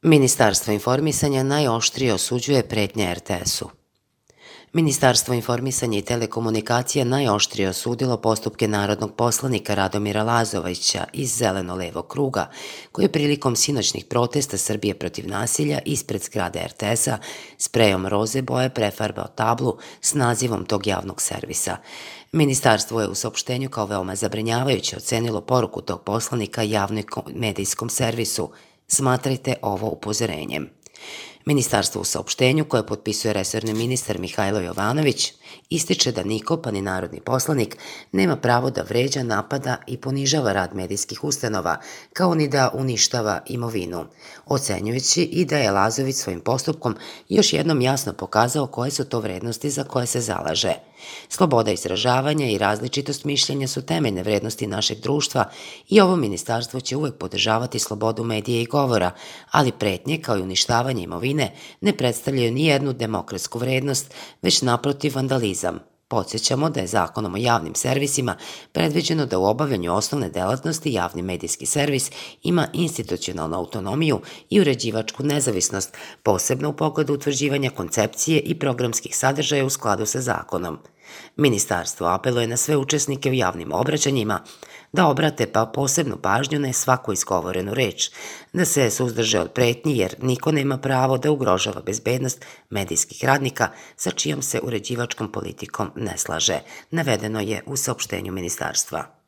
Ministarstvo informisanja najoštrije osuđuje pretnje RTS-u. Ministarstvo informisanja i telekomunikacija najoštrije osudilo postupke narodnog poslanika Radomira Lazovića iz Zeleno-levog kruga, koji je prilikom sinoćnih protesta Srbije protiv nasilja ispred zgrade RTS-a sprejom roze boje prefarbao tablu s nazivom tog javnog servisa. Ministarstvo je u saopštenju kao veoma zabrinjavajuće ocenilo poruku tog poslanika javnom medijskom servisu. Smatrajte ovo upozorenjem. Ministarstvo u saopštenju, koje potpisuje resorni ministar Mihajlo Jovanović, ističe da niko, pa ni narodni poslanik, nema pravo da vređa, napada i ponižava rad medijskih ustanova, kao ni da uništava imovinu, ocenjujući i da je Lazović svojim postupkom još jednom jasno pokazao koje su to vrednosti za koje se zalaže. Sloboda izražavanja i različitost mišljenja su temeljne vrednosti našeg društva i ovo ministarstvo će uvek podržavati slobodu medija i govora, ali pretnje kao i uništavanje imovine ne predstavljaju ni jednu demokratsku vrednost, već naprotiv vandalizam. Podsjećamo da je Zakonom o javnim servisima predviđeno da u obavljanju osnovne delatnosti javni medijski servis ima institucionalnu autonomiju i uređivačku nezavisnost, posebno u pogledu utvrđivanja koncepcije i programskih sadržaja u skladu sa zakonom. Ministarstvo apeluje na sve učesnike u javnim obraćanjima da obrate posebnu pažnju na svaku izgovorenu reč, da se suzdrže od pretnji jer niko nema pravo da ugrožava bezbednost medijskih radnika sa čijom se uređivačkom politikom ne slaže, navedeno je u saopštenju ministarstva.